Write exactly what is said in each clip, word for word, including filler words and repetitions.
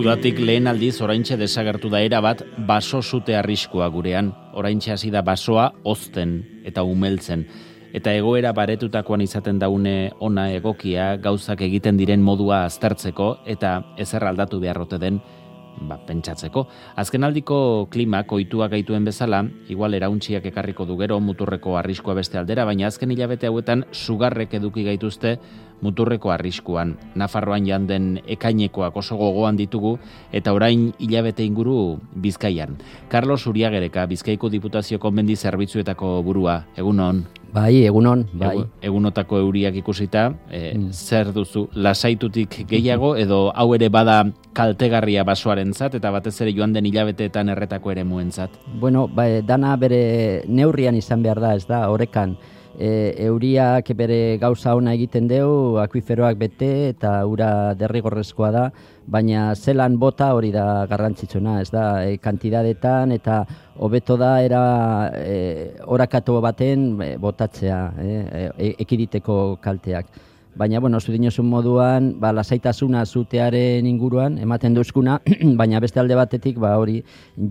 Udatik lehen aldiz oraintxe desagertu da erabat baso sute arriskua gurean. Oraintxe hasi da basoa hozten eta umeltzen. Eta egoera baretutakoan izaten daune ona egokia gauzak egiten diren modua aztertzeko eta ezer aldatu beharrote den ba, pentsatzeko. Azkenaldiko klimak ohituak gaituen bezala, igual erauntziak ekarriko du gero muturreko arriskua beste aldera, baina azken hilabete hauetan sugarrek eduki gaituzte muturreko arriskuan. Nafarroan janden ekainekoak oso gogoan ditugu eta orain hilabete inguru Bizkaian. Carlos Uriagereka, Bizkaiko Diputazioko mendi zerbitzuetako burua, egunon. Bai, egunon, bai. Egu, egunotako euriak ikusita, e, mm. zer duzu, lasaitutik gehiago edo hau ere bada kaltegarria basoarentzat eta batez ere joan den hilabeteetan erretako ere muentzat? Bueno, ba, dana bere neurrian izan behar da, ez da, orekan. E, euriak bere gauza ona egiten deu, akuiferoak bete eta ura derrigorrezkoa da, baina zelan bota hori da garrantzitsuna, ez da, e, kantidadetan eta hobeto da era e, orakatu baten e, botatzea, e, e, ekiditeko kalteak. Baina, bueno, zu dinozun moduan, ba, lasaitasuna zutearen inguruan, ematen duzkuna, baina beste alde batetik, ba, hori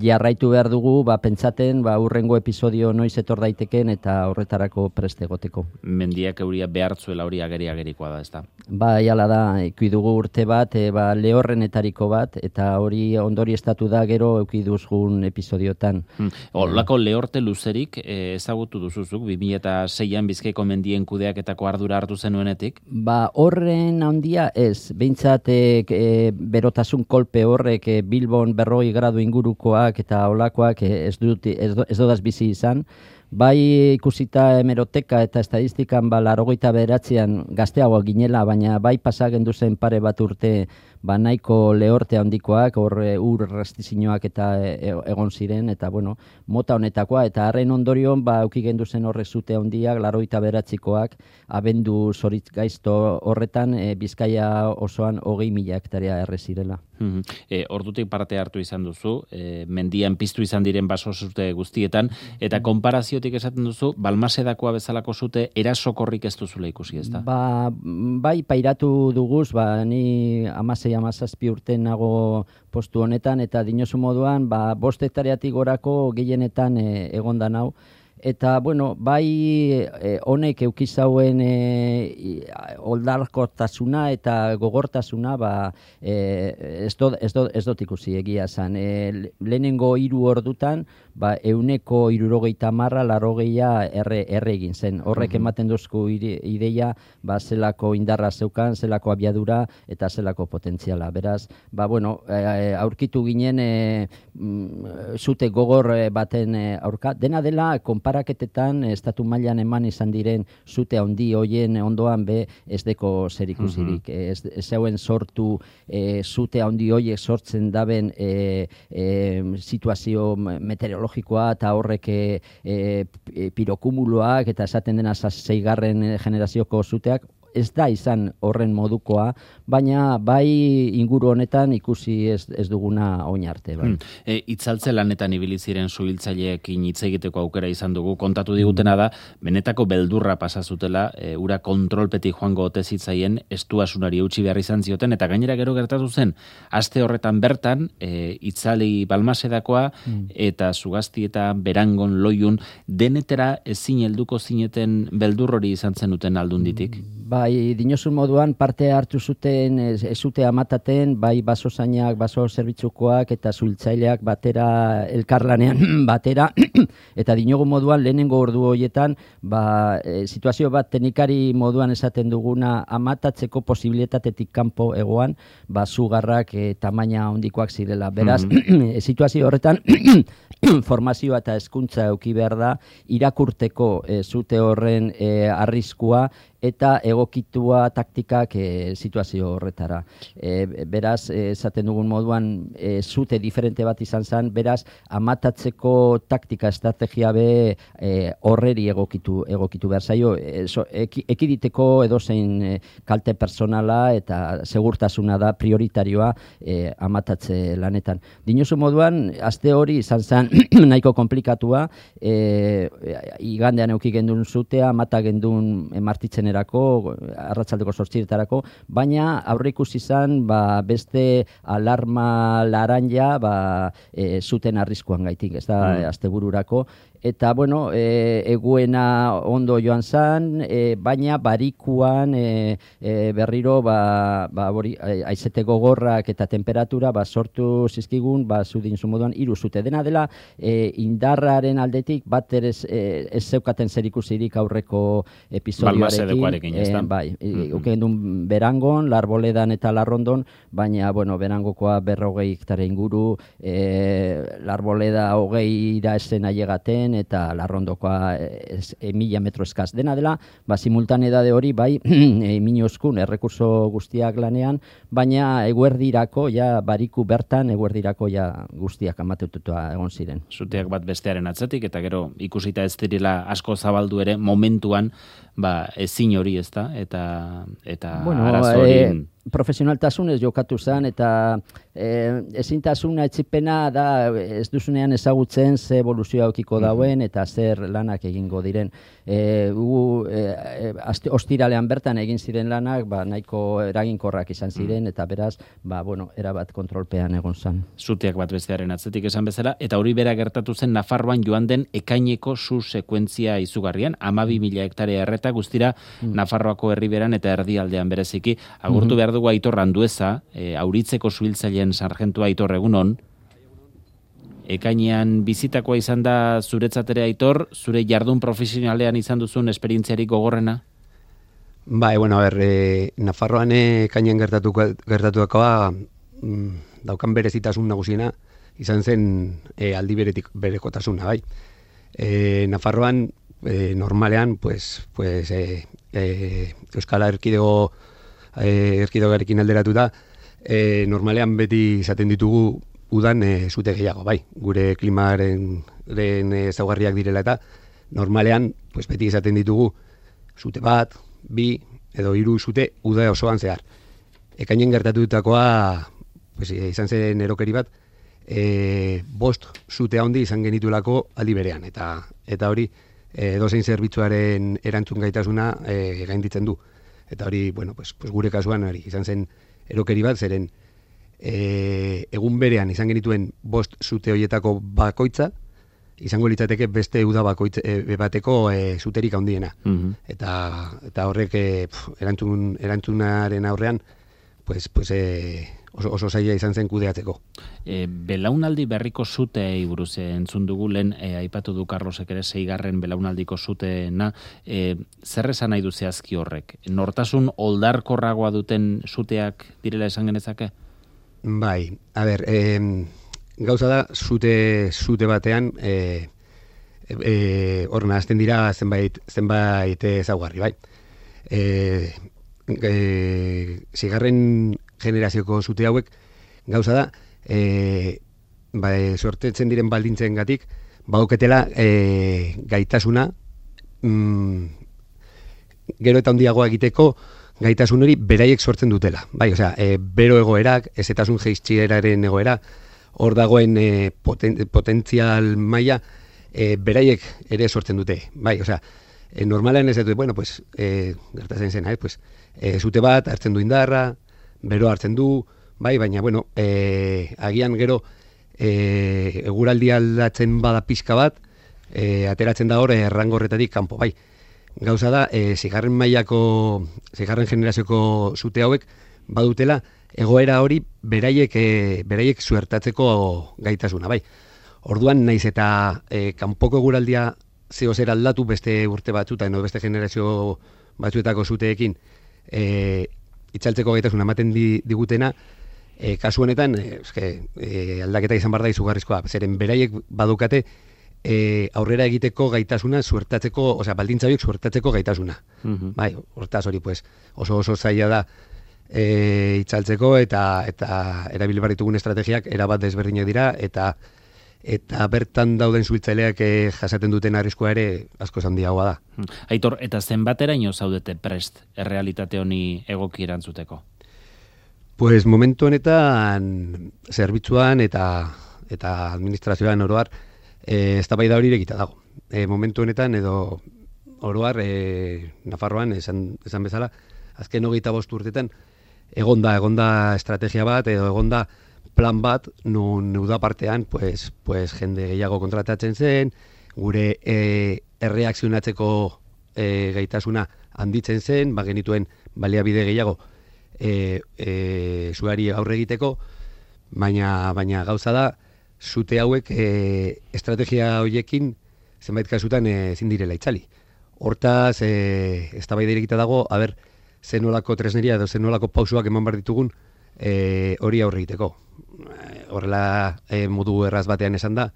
jarraitu behar dugu, ba, pentsaten, ba, urrengo episodio noiz etor daiteken eta horretarako preste egoteko. Mendiak euria behartzuela hori ageri-agerikoa da, ez da? Ba, jala da, ikusi dugu urte bat, e, ba, lehorrenetariko bat, eta hori ondori estatu da gero euki duzgun episodiotan. Hmm. Olako lehorte luzerik e, ezagutu duzuzuk, bi mila seian Bizkaiko mendien kudeaketako ardura hartu zenuenetik? Ba, horren handia ez, behintzat e, e, berotasun kolpe horrek e, Bilbon berroi gradu ingurukoak eta olakoak e, ez, dut, ez, do, ez dodaz bizi izan. Bai ikusita hemeroteka eta estadistikan ba, larogeita beratzean gazteagoa ginela, baina bai pasagendu zen pare bat urte ba, nahiko lehorte handikoak, hor ur restizinoak eta e, egon ziren, eta bueno, mota honetakoa, eta harren ondorion ba, auki gendu zen horre zute handiak, larogeita beratzikoak, abendu zoritz gaizto horretan, e, Bizkaia osoan hogei mila hektarea erre zirela. Mm-hmm. E, ordutik parte hartu izan duzu, e, mendian piztu izan diren baso zute guztietan, eta konparaziotik esaten duzu, Balmasedakoa bezalako zute erasokorrik ez duzula ikusi, ez da? Ba, bai, pairatu duguz, ba, ni amasei amazazpi urte nago postu honetan, eta dinosu moduan, ba, bost hektareatik gorako gehienetan e, egonda nau. Eta, bueno, bai e, honek eukizauen e, oldarkortasuna eta gogortasuna ba, e, ez, do, ez, do, ez dut ikusi egia zan. E, lehenengo hiru ordutan, ba, euneko hirurogeita marra, larogeia erre, erre egin zen. Horrek ematen duzku ideia, ba, zelako indarra zeukan, zelako abiadura eta zelako potentziala. Beraz, ba, bueno, e, aurkitu ginen e, zute gogor baten e, aurka. Dena dela, konparaketetan, estatu mailan eman izan diren zute handi hoien ondoan be ez deko zer ikusirik. Uh-huh. Ez, ez zeuen sortu e, zute handi hoiek sortzen daben e, e, situazio meteorologikoa eta horrek e, e, pirokumuloak eta esaten dena zeigarren generazioko zuteak, ez da izan horren modukoa, baina bai inguru honetan ikusi ez, ez duguna oin arte. Bai. Hmm. E, itzaltze lanetan ibili ziren suhiltzaileekin hitz egiteko aukera izan dugu, kontatu digutena da, benetako beldurra pasa zutela, e, ura kontrolpetik joango ote zitzaien estuasunari eutsi behar izan zioten, eta gainera gero gertatu zen, aste horretan bertan, e, itzali Balmasedakoa, hmm. eta Zugazti eta Berangon Loiun, denetera ezin helduko zineten beldur hori izan zenuten aldunditik? Bai, dinosun moduan parte hartu zuten, ez, ez zute amataten, bai basozainak, baso zerbitzukoak eta zuhiltzaileak batera elkarlanean batera, eta dinogu moduan lehenengo ordu horietan, ba, e, situazio bat teknikari moduan esaten duguna amatatzeko posibilitatetik kanpo egoan, ba, zugarrak e, tamaina handikoak zirela. Beraz, mm-hmm. situazio horretan, formazioa eta hezkuntza eduki behar da, irakurteko e, zute horren e, arriskua, eta egokitua taktikak e, situazio horretara. E, beraz, esaten dugun moduan, e, zute diferente bat izan zen, beraz, amatatzeko taktika estrategia be e, horreri egokitu, egokitu behar zaio, e, so, eki, ekiditeko edozein e, kalte personala eta segurtasuna da prioritarioa e, amatatze lanetan. Dinosu moduan, aste hori izan zen nahiko komplikatua, e, igandean euki gendun zutea, amata gendun e, martitzen denerako, arratsaldeko zortzietarako, baina aurre ikusi izan ba, beste alarma laranja ba, e, zuten arriskuan gaitik, ez da, mm. astebururako. Eta, bueno, e, eguena ondo joan zan, e, baina barikuan e, e, berriro ba, ba, bori, aizete gogorrak eta temperatura ba, sortu zizkigun, ba, zudin zumoduan, hiru zute. Dena dela, e, indarraren aldetik bat ere ez, e, ez zeukaten zerikusirik aurreko episodioarekin. E, bai, mm-hmm. uken duen Berangon, Larboledan eta Larrondon, baina, bueno, Berangokoa berrogei hektare inguru, e, Larboleda hogeira esen ailegaten, eta Larrondokoa es, e, mila metro eskaz. Dena dela, ba, simultanedade hori, bai, e, minozkun, errekurso guztiak lanean, baina eguerdirako, ja, bariku bertan, eguerdirako, ja, guztiak amatetutua egon ziren. Zuteak bat bestearen atzetik, eta gero, ikusita ez direla asko zabaldu ere, momentuan, ba, ezin hori ez da, eta, eta bueno, arazo hori... E, profesionaltasunez jokatu zen, eta e, ezintasuna etxipena da ez duzunean ezagutzen ze evoluzioa aukiko dauen eta zer lanak egingo diren. E, u, e, ostiralean bertan egin ziren lanak, ba, nahiko eraginkorrak izan ziren, eta beraz, ba, bueno, erabat kontrolpean egon zen. Zuteak bat bestearen atzetik esan bezala, eta hori bera gertatu zen Nafarroan joan den ekaineko zu sekuentzia izugarrian, hamabi mila hektare erreta guztira mm. Nafarroako herriberan eta erdialdean bereziki. Agurtu behar dugu Aitor Andueza, e, Auritzeko suhiltzaileen sargentua Aitor, egunon. Ekainean bizitakoa izan da zuretzatere Aitor, zure jardun profesionalean izan duzun esperientziarik gogorrena? Bai, bueno, a ber, e, Nafarroan ekainean gertatuakoa mm, daukan berezitasun nagusiena izan zen e, aldi beretik berekotasuna, bai. E, Nafarroan e, normalean, pues, pues, e, e, Euskal Erkidego Eh, erkidogarekin alderatuta, eh, normalean beti izaten ditugu udan eh, zute gehiago, bai, gure klimaren ezaugarriak direla eta normalean pues, beti izaten ditugu zute bat, bi edo hiru zute uda osoan zehar. Ekainen gertatutakoa pues, izan zen erokeri bat, eh, bost zute handi izan genitulako aldi berean, eta, eta hori eh, edozein zerbitzuaren erantzun gaitasuna eh, gainditzen du. Eta hori, bueno, pues, pues gure kasuan hori izan zen erokeri bat, zeren e, egun berean izan genituen bost zute horietako bakoitza, izango litzateke beste uda bakoitza e, bateko e, zuterik handiena. Mm-hmm. Eta, eta horrek e, pf, erantzun, erantzunaren aurrean, pues, pues, e, oso, oso zaila izan zen kudeatzeko. E, belaunaldi berriko zuteei buruz entzun dugu, lehen e, aipatu du Carlosek ere seigarren belaunaldiko zuteena, e, zer esan nahi du zehazki horrek? Nortasun oldarkorragoa duten zuteak direla esan genezake? Bai, a ber, e, gauza da, zute, zute batean, e, e, hor nahazten dira zenbait, zenbait ezaugarri, bai. E, e, zigarren generazioko zute hauek, gauza da, e, ba, e, sortetzen diren baldintzen gatik, bauketela e, gaitasuna mm, gero eta handiagoa egiteko gaitasun hori beraiek sortzen dutela. Bai, osea, e, bero egoerak, ezetasun jaiztxieraren egoera, hor dagoen e, poten, potentzial maila e, beraiek ere sortzen dute. Bai, osea, e, normalean ez dut, bueno, pues, e, gertatzen zena, eh, pues, e, zute bat hartzen du indarra, bero hartzen du, bai, baina, bueno, e, agian gero e, eguraldi aldatzen bada pixka bat, e, ateratzen da hor errangorretatik kanpo, bai. Gauza da, e, zigarren mailako, zigarren generazioko zute hauek badutela egoera hori beraiek, e, beraiek suertatzeko gaitasuna, bai. Orduan, naiz eta e, kanpoko eguraldia zeo zer aldatu beste urte batzutan, edo beste generazio batzuetako zuteekin, e, itzaltzeko gaitasuna ematen di, digutena, e, kasu honetan, e, eske, e, aldaketa izan bar da izugarrizkoa, zeren beraiek badukate e, aurrera egiteko gaitasuna suertatzeko, osea, baldintza horiek suertatzeko gaitasuna. Mm-hmm. Bai, hortaz hori, pues, oso oso zaila da e, itzaltzeko eta eta erabil behar ditugun estrategiak erabat desberdinak dira, eta eta bertan dauden suhiltzaileak eh, jasaten duten arriskua ere asko handiagoa da. Aitor, eta zenbateraino zaudete prest errealitate honi egoki erantzuteko? Pues momentu honetan zerbitzuan eta eta administrazioan oro har eh, eztabaida hori irekita dago. E, momentu honetan edo oroar, e, Nafarroan, esan, esan bezala, azken hogeita bost urtetan, egonda, egonda estrategia bat, edo egonda plan bat, nun uda partean, pues, pues, jende gehiago kontratatzen zen, gure e, erreakzionatzeko e, gaitasuna handitzen zen, ba genituen baliabide gehiago e, e, zuari aurre egiteko, baina, baina gauza da, zute hauek e, estrategia horiekin zenbait kasutan ezin direla itzali. Hortaz, e, eztabaida irekita dago, a ber, zen nolako tresneria edo zen nolako pausuak eman behar ditugun e, hori aurre egiteko. E, horrela e, modu erraz batean esan da,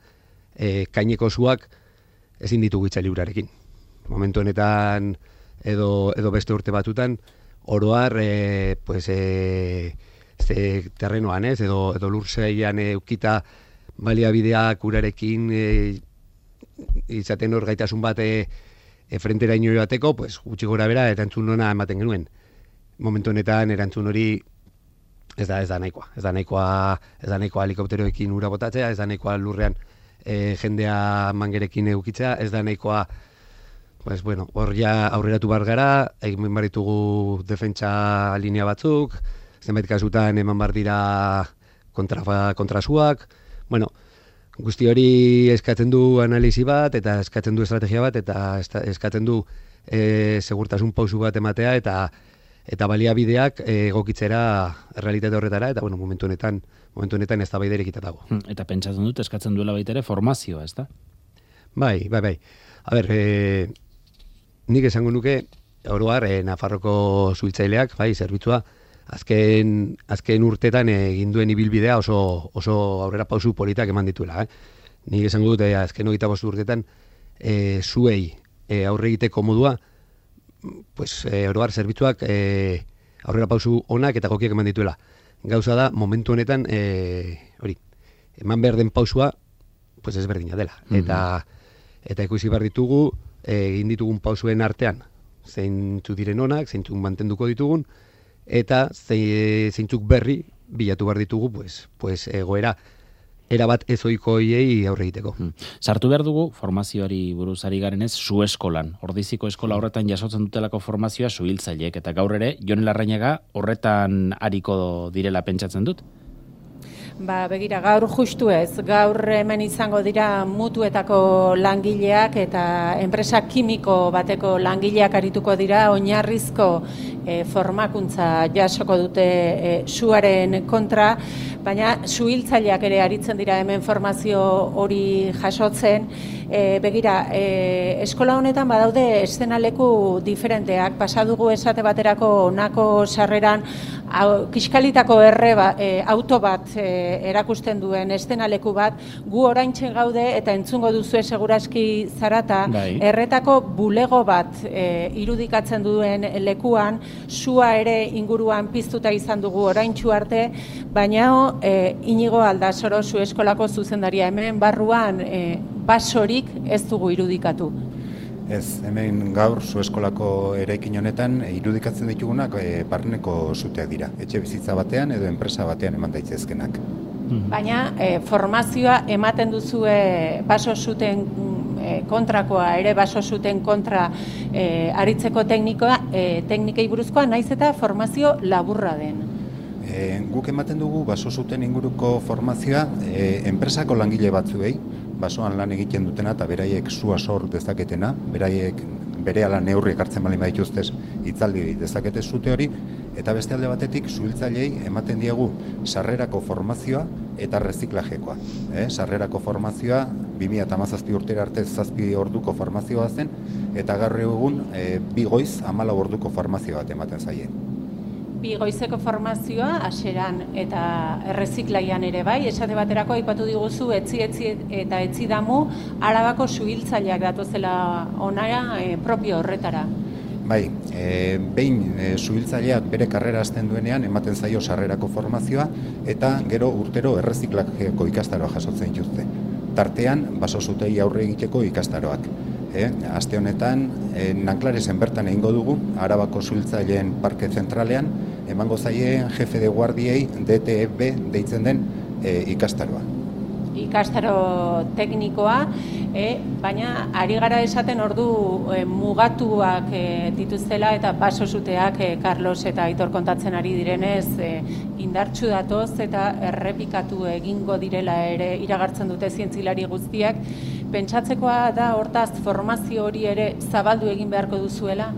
e, kaineko zuak ezin ditugu itzali urarekin. Momentu honetan edo, edo beste urte batutan, oroar e, pues, e, ze terrenoan ez, edo, edo lurzeian e, ukita baliabideak urarekin e, izaten hor gaitasun bat e, e, frentera ino bateko, pues, gutxi gora bera erantzun ona ematen genuen. Momentu honetan erantzun hori ez da ez da nahikoa. Ez da nahikoa, ez da nahikoa helikopteroekin ura botatzea, ez da nahikoa lurrean e, jendea mangerekin eukitzea, ez da nahikoa, pues, bueno, hor ja aurreratu bar gara, egin behar ditugu defentsa linea batzuk, zenbait kasutan eman bar dira kontra, kontrasuak, bueno, guzti hori eskatzen du analisi bat, eta eskatzen du estrategia bat, eta eskatzen du e, segurtasun pausu bat ematea, eta eta baliabideak egokitzera errealitate horretara, eta bueno, momentu honetan, momentu honetan ez da baiderik dago. Eta pentsatzen dut, eskatzen duela baita ere formazioa, ez da? Bai, bai, bai. A ber, e, nik esango nuke, oroar, e, Nafarroko zuhiltzaileak, bai, zerbitzua, azken, azken urtetan egin duen ibilbidea oso, oso aurrera pausu politak eman dituela. Eh? Nik esango dut, e, azken hogeita bost urtetan, e, zuei e, aurre egiteko modua, pues, e, oroar zerbitzuak e, aurrera pausu onak eta gokiak eman dituela. Gauza da, momentu honetan, e, hori, eman behar den pausua, pues ezberdina dela. Mm-hmm. Eta, eta ikusi behar ditugu, egin ditugun pausuen artean, zeintzuk diren onak, zeintzuk mantenduko ditugun, eta zeintzuk berri bilatu behar ditugu, pues, pues egoera erabat ezoikoiei aurre egiteko. Hmm. Sartu behar dugu, formazioari buruz ari garenez, zu eskolan. Ordiziko eskola horretan jasotzen dutelako formazioa zuhiltzaileek, eta gaur ere, Jon Larrañaga horretan ariko direla pentsatzen dut? Ba, begira, gaur justu ez, gaur hemen izango dira mutuetako langileak eta enpresa kimiko bateko langileak arituko dira oinarrizko e, formakuntza jasoko dute e, suaren kontra, baina zuhiltzaileak ere aritzen dira hemen formazio hori jasotzen. E, begira, e, eskola honetan badaude eszenaleku diferenteak, pasadugu esate baterako onako sarreran au, kiskalitako erre ba, e, auto bat e, erakusten duen eszenaleku bat, gu oraintzen gaude eta entzungo duzue seguraski zarata, bai. Erretako bulego bat e, irudikatzen duen lekuan, sua ere inguruan piztuta izan dugu oraintsu arte, baina e, Inigo Aldasoro zu eskolako zuzendaria hemen barruan e, basorik ez dugu irudikatu. Ez, hemen gaur zu eskolako eraikin honetan irudikatzen ditugunak e, barneko zuteak dira. Etxe bizitza batean edo enpresa batean eman daitezkenak. Baina e, formazioa ematen duzue baso zuten e, kontrakoa, ere baso zuten kontra e, aritzeko teknikoa, e, teknikei buruzkoa, naiz eta formazio laburra den. E, guk ematen dugu baso zuten inguruko formazioa e, enpresako langile batzuei, basoan lan egiten dutena eta beraiek sua sor dezaketena, beraiek berehala neurriek hartzen baldin badituztez hitzaldi dezakete zute hori, eta beste alde batetik zuhiltzaileei ematen diegu sarrerako formazioa eta reziklajekoa. Eh? Sarrerako formazioa bi mila hamazazpi urtera arte zazpi orduko formazioa zen, eta gaur egun e, bi goiz hamalau orduko formazio bat ematen zaie. Bi goizeko formazioa hasieran eta erreziklaian ere bai, esate baterako aipatu diguzu etzi etzi eta etzi damu Arabako zuhiltzaileak datozela onara e, propio horretara. Bai, e, behin e, zuhiltzaileak bere karrera hasten duenean ematen zaio sarrerako formazioa eta gero urtero erreziklajeko ikastaroa jasotzen dituzte. Tartean baso zutei aurre egiteko ikastaroak. E, aste honetan e, Nanklaresen bertan egingo dugu Arabako zuhiltzaileen parke zentralean emango zaien jefe de guardiei D T E B deitzen den e, ikastaroa. Ikastaro teknikoa, E, baina ari gara esaten ordu e, mugatuak e, dituztela eta baso suteak e, Carlos eta Aitor kontatzen ari direnez e, indartsu datoz eta errepikatu egingo direla ere iragartzen dute zientzilari guztiak. Pentsatzekoa da hortaz formazio hori ere zabaldu egin beharko duzuela?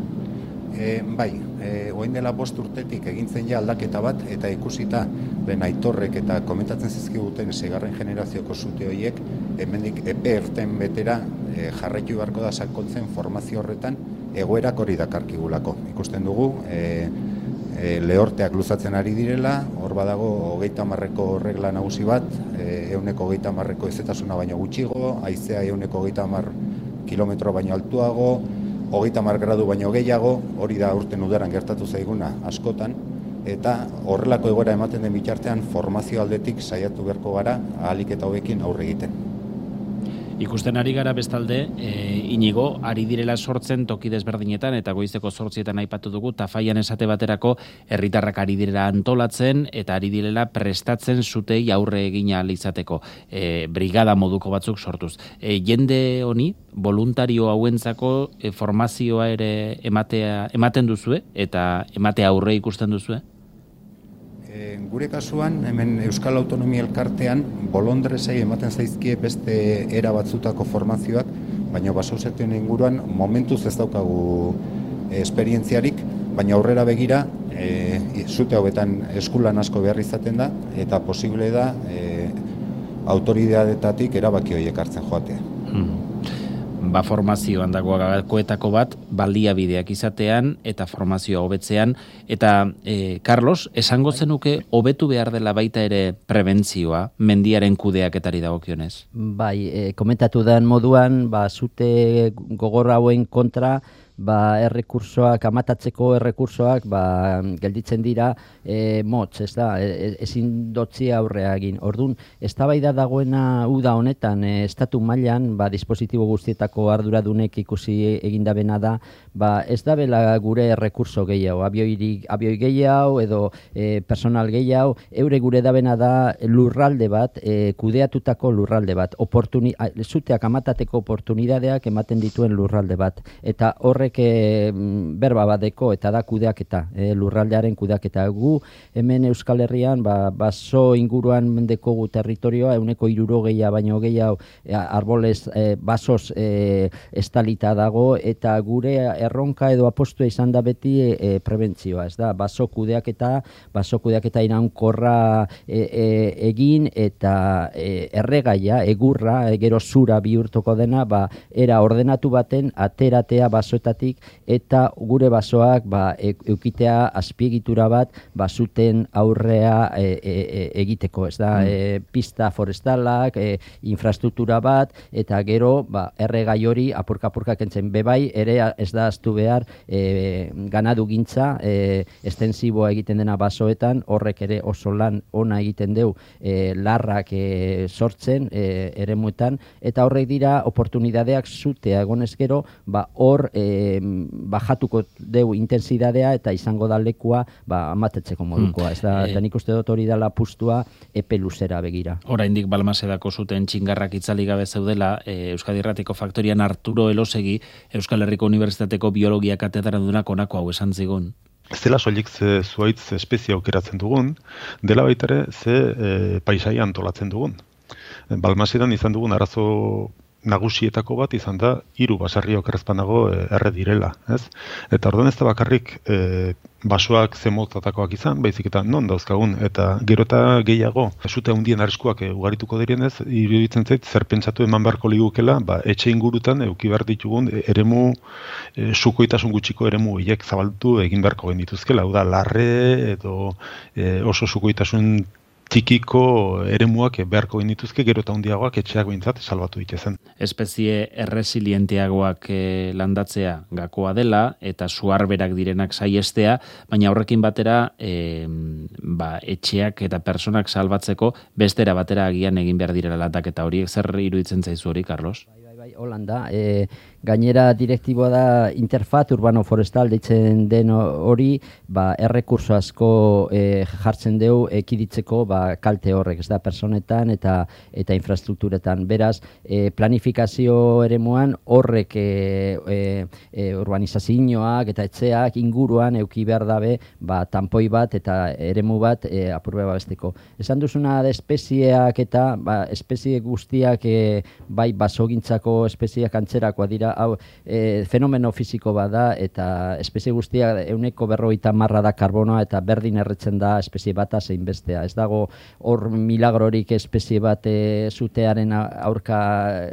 E, bai, e, orain dela bost urtetik egintzen ja aldaketa bat eta ikusita lehen Aitorrek eta komentatzen zizkiguten seigarren generazioko sute horiek hemendik epe erten betera e, jarraitu beharko da sakontzen formazio horretan egoerak hori dakarkigulako. Ikusten dugu e, e, lehorteak luzatzen ari direla, hor badago hogeita hamarreko regla nagusi bat, e, ehuneko hogeita hamarreko ezetasuna baino gutxigo, haizea ehuneko hogeita hamar kilometro baino altuago, hogeita hamar gradu baino gehiago, hori da urten udaran gertatu zaiguna askotan, eta horrelako egoera ematen den bitartean formazio aldetik saiatu beharko gara ahalik eta hobekin aurre egiten. Ikusten ari gara bestalde, e, Inigo, ari direla sortzen toki desberdinetan eta goizeko zortzietan aipatu dugu, Tafaian esate baterako herritarrak ari direla antolatzen eta ari direla prestatzen zutei aurre egina izateko e, brigada moduko batzuk sortuz. E, jende honi, voluntario hauentzako e, formazioa ere ematea, ematen duzue eta ematea aurre ikusten duzue? Gure kasuan, hemen Euskal Autonomia Elkartean, bolondresei ematen zaizkie beste era batzutako formazioak, baina basauzetuen inguruan momentuz ez daukagu esperientziarik, baina aurrera begira, e, zute hauetan eskulan asko behar izaten da, eta posible da e, autoridadetatik erabaki horiek hartzen joatea. Hmm. Ba formazioan dago gakoetako bat, baliabideak izatean eta formazioa hobetzean. Eta, e, Carlos, esango zenuke hobetu behar dela baita ere prebentzioa, mendiaren kudeaketari dagokionez? Bai, e, komentatu den moduan, ba, zute gogor hauen kontra, ba, errekursoak, amatatzeko errekursoak, ba, gelditzen dira e, motz, ez da, e, ezin dotzi aurrea egin. Orduan, eztabaida dagoena uda honetan, e, estatu mailan, ba, dispositibo guztietako arduradunek ikusi egindabena da, ba, ez da bela gure errekurso gehiago, abioi, abioi gehiago edo e, personal gehiago, eure gure dabena da lurralde bat, e, kudeatutako lurralde bat, oportuni, zuteak amatateko oportunidadeak ematen dituen lurralde bat, eta horre E, berba badeko eta da kudeaketa, e, lurraldearen kudeaketa. Gu hemen Euskal Herrian ba, baso inguruan mendeko gu territorioa euneko hirurogeia baino gehiago e, arbolez e, basoz e, estalita dago eta gure erronka edo apostua izan da beti e, prebentzioa, ez da, baso kudeaketa, baso kudeaketa iraunkorra e, e, egin eta e, erregaia, egurra, e, gero zura bihurtuko dena, ba, era ordenatu baten ateratea basoetatik eta gure basoak ba, eukitea azpiegitura bat basuten aurrea e, e, egiteko, ez da, mm. e, pista forestalak, e, infrastruktura bat, eta gero ba, erregai hori apurka-apurka kentzen bebai, ere ez da aztu behar e, ganadu gintza, e, estensiboa egiten dena basoetan, horrek ere oso lan ona egiten deu e, larrak e, sortzen e, eremuetan, eta horrek dira oportunidadeak zutea egonez gero, ba, hor e, bajatuko deu intensidadea eta izango da lekua ba, amatetzeko modukoa. Ez da, eta nik uste dut hori dela pustua epe luzera begira. Oraindik Balmasedako zuten txingarrak itzali gabe zeudela, e, Euskadi Irratiko Faktorian Arturo Elosegi, Euskal Herriko Unibertsitateko biologia katedradunak honako hau esan zigun. Ez dela soilik ze zuaitz espezie aukeratzen dugun, dela baitare ze e, paisaia antolatzen dugun. Balmasedan izan dugun arazo nagusietako bat izan da hiru basarri okerrezpanago erre direla, ez? Eta orduan ez da bakarrik e, basoak zemotatakoak izan, baizik eta non dauzkagun, eta gero eta gehiago, zute handien arriskuak e, ugarituko direnez, iruditzen zait, zer pentsatu eman beharko ligukela, ba, etxe ingurutan euki behar ditugun eremu, e, sukoitasun gutxiko eremu hiek zabaldu egin beharko genituzkela, hau da, larre edo e, oso sukoitasun txikiko eremuak beharko genituzke, gero eta handiagoak etxeak behintzat salbatu ditezen. Espezie erresilienteagoak e, landatzea gakoa dela eta suarberak direnak saiestea, baina horrekin batera e, ba, etxeak eta personak salbatzeko bestera batera agian egin behar direla aldaketa horiek. Zer iruditzen zaizu hori, Carlos? Holanda, e, gainera direktiboa da Interfat Urbano Forestal deitzen den hori, ba, errekurso asko e, jartzen dugu ekiditzeko ba, kalte horrek, ez da, personetan eta eta infrastrukturetan. Beraz, e, planifikazio eremuan horrek e, e, e, urbanizazioak eta etxeak inguruan euki behar dabe ba, tanpoi bat eta eremu bat e, apurbe babesteko. Esan duzuna da espezieak eta ba, espezie guztiak e, bai basogintzako espezieak antzerakoa dira, hau e, fenomeno fisiko bada eta espezie guztiak euneko berrogeita marra da karbonoa eta berdin erretzen da espezie bata zein bestea. Ez dago hor milagrorik espezie bat e, zutearen aurka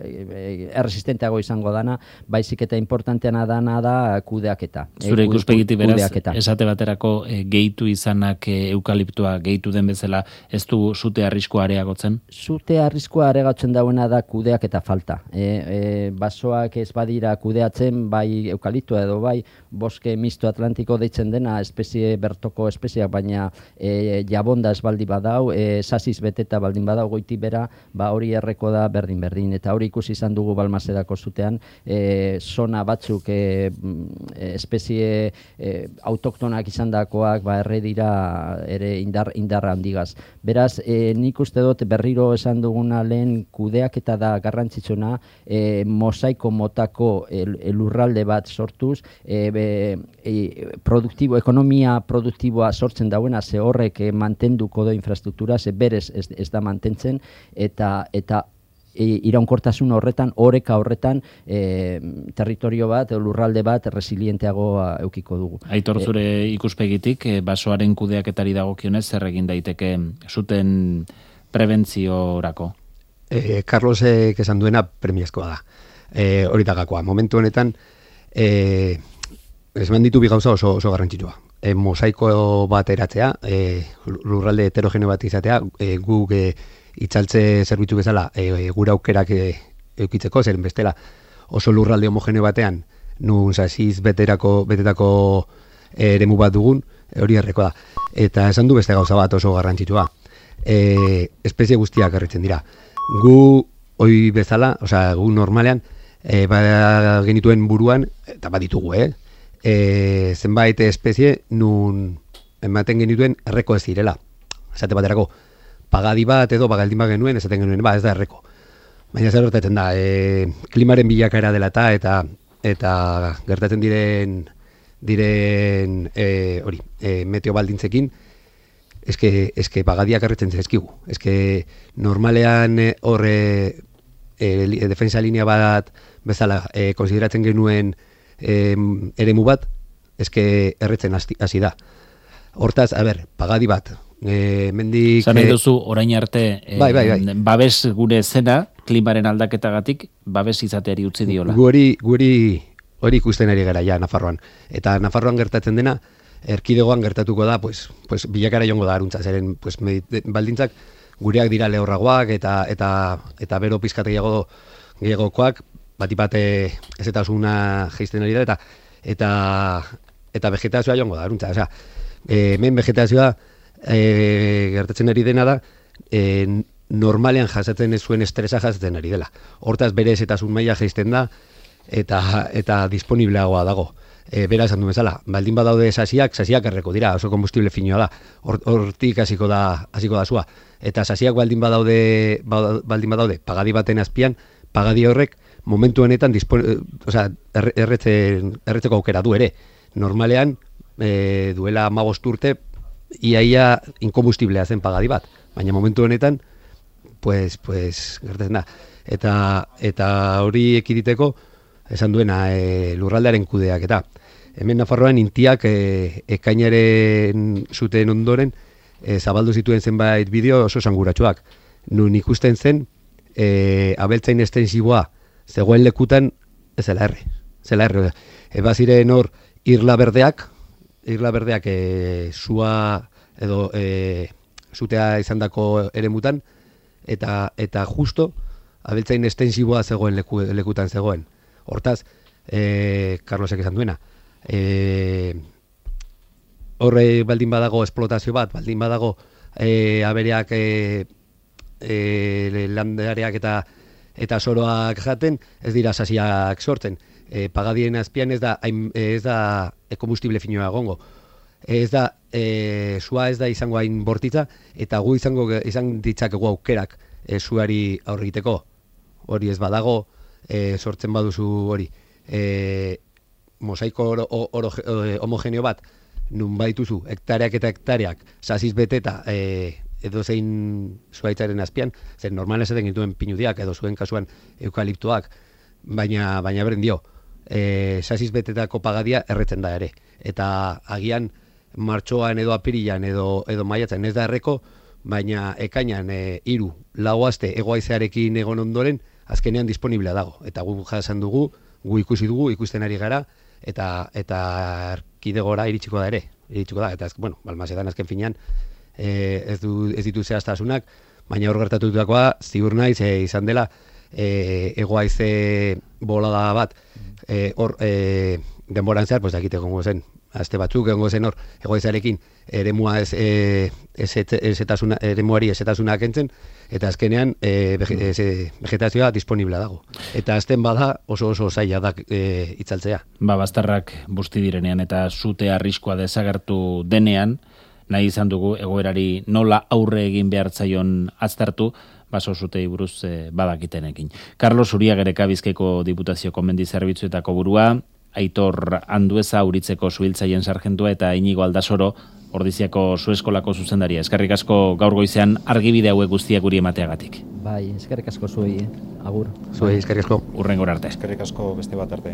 e, erresistenteago izango dana, baizik eta importanteana dana da kudeaketa. Zure ikuspegitik beraz, esate baterako e, gehitu izanak e, eukaliptoa gehitu den bezala ez du zute arriskua areagotzen? Zute arriskua areagotzen dauena da kudeaketa falta. E, e, basoak ez badira kudeatzen, bai eukaliptoa edo bai boske misto atlantiko deitzen dena espezie bertoko espeziak, baina e, jabonda ez baldi badau, e, sasiz beteta baldin badau goiti bera, ba hori erreko da berdin-berdin. Eta hori ikusi izan dugu Balmasedako zutean, e, zona batzuk e, espezie e, autoktonak izan dakoak ba, erre dira ere indar, indarra handigaz. Beraz, e, nik uste dut berriro esan duguna lehen kudeaketa da garrantzitsuna, e, mosaiko motako e, lurralde bat sortuz, e, be, e, produktibo, ekonomia produktiboa sortzen dauena, ze horrek e, mantenduko do infrastruktura, ze berez ez, ez da mantentzen, eta eta e, iraunkortasun horretan, oreka horretan e, territorio bat, lurralde bat resilienteago eukiko dugu. Aitor, zure e, ikuspegitik, e, basoaren kudeaketari dagokionez zer egin daiteke zuten prebentziorako? E, Carlosek esan duena premiazkoa da. E, hori dagakoa. Momentu honetan, e, esan ditu bi gauza oso, oso garrantzitsua. E, mosaiko bat eratzea, e, lurralde heterogene bat izatea, e, guk e, itzaltze zerbitzu bezala e, gure aukerak e, eukitzeko, zeren bestela oso lurralde homogene batean, nun sasiz beterako, betetako eremu bat dugun, e, hori erreko da. Eta esan du beste gauza bat oso garrantzitsua. E, espezie guztiak erretzen dira. Gu, hoi bezala, osea, gu normalean, e, ba, genituen buruan, eta baditugu, eh? E, zenbait espezie nun ematen genituen erreko ez direla. Esate baterako, pagadi bat edo bagaldin bat genuen, esaten genuen, ba, ez da erreko. Baina zer gertatzen da, e, klimaren bilakaera dela eta, eta, eta gertatzen diren, diren e, hori, e, meteo baldintzekin, eske, eske pagadiak erretzen zezkigu. Eske normalean horre e, e, defensa linea bat bezala e, konsideratzen genuen e, eremu bat, eske erretzen hasi da. Hortaz, a ber, pagadi bat, E, mendik... Zan nahi duzu, orain arte, e, bai, bai, bai. babes gure zena, klimaren aldaketagatik, babes izateari utzi diola. Guri, guri hori ikusten ari gara ja, Nafarroan. Eta Nafarroan gertatzen dena, erkidegoan gertatuko da, pues, pues, bilakara jongo da aruntza, zeren pues, baldintzak gureak dira lehorragoak eta eta eta bero pizkategiago gehiagokoak, batipate ez eta osuna geizten ari da, eta eta, eta vegetazioa jongo da aruntza. Osea, e, hemen vegetazioa E, gertatzen ari dena da e, normalean jasatzen ez zuen estresa jasatzen ari dela. Hortaz berez eta zun maila jaisten da eta eta disponibleagoa dago. E, bera esan du bezala, baldin badaude sasiak, sasiak erreko dira, oso kombustible finioa da. Hortik hasiko da hasiko da sua. Eta sasiak baldin badaude baldin badaude pagadi baten azpian, pagadi horrek momentu honetan dispon, o sea, erretzen erretzeko aukera du ere. Normalean e, duela hamabost urte iaia inkombustiblea zen pagadi bat, baina momentu honetan pues, pues, gertatzen da. Eta, eta hori ekiditeko esan duena e, lurraldearen kudeak eta hemen Nafarroan intiak e, ekainaren zuten ondoren e, zabaldu zituen zenbait bideo oso esanguratsuak. Nun ikusten zen e, abeltzain estensiboa zegoen lekutan ez zela erre. Zela erre. E, baziren hor irla berdeak, irla berdeak e, sua edo e, zutea izandako eremutan eta eta justo abeltzain estensiboa zegoen leku, lekutan zegoen. Hortaz, e, Carlosek esan duena, e, horre baldin badago esplotazio bat, baldin badago e, abereak e, e, landareak eta eta soroak jaten, ez dira sasiak sortzen. E, pagadien azpian ez da, ez da kombustible finoa egongo. Ez da, e, sua ez da izango hain bortitza, eta gu izango izan ditzakegu aukerak e, suari aurriteko. Hori ez badago, e, sortzen baduzu hori. E, mosaiko oro, oro, homogeneo bat, nun baituzu, hektareak eta hektareak, sasiz beteta, e, edo zein zuaitzaren azpian, zer normalen esaten gintuen pinudiak, edo zuen kasuan eukaliptoak, baina, baina beren dio, e, sasiz betetako pagadia erretzen da ere. Eta agian martxoan edo apirilan edo, edo maiatzen ez da erreko, baina ekainan e, iru, lau aste egoaizearekin egon ondoren, azkenean disponiblea dago. Eta gu jasan dugu, gu ikusi dugu, ikusten ari gara, eta eta erkidegora iritsiko da ere. Iritsiko da, eta ez, bueno, Balmasedan azken finean, e, ez, du, ez ditu zehaztasunak, baina hor gertatutakoa ziur naiz e, izan dela e, egoaize bolada bat, e, hor e, denboran zehar, pues dakite gongo zen, aste batzuk egongo zen hor, egoaizarekin eremua ez, e, ezetasuna, eremuari ezetasuna kentzen, eta azkenean e, vegetazioa disponibla dago. Eta azten bada oso oso zaila da e, itzaltzea. Ba, bastarrak busti direnean eta zute arriskoa desagertu denean, nahi izan dugu egoerari nola aurre egin behartzaion aztertu, baso zutei buruz e, badakitenekin. Carlos Uriagereka Bizkaiko Diputazioko Mendi Zerbitzuetako burua, Aitor Andueza Uritzeko Zuhiltzaien sarjentua eta Inigo Aldasoro Ordiziako Zueskolako zuzendaria. Eskerrik asko gaur goizean argibide hauek guztiak guri emateagatik. Bai, eskerrik asko zuei, eh? Agur. Zuei, eskerrik asko. Urrengora arte. Eskerrik asko beste bat arte.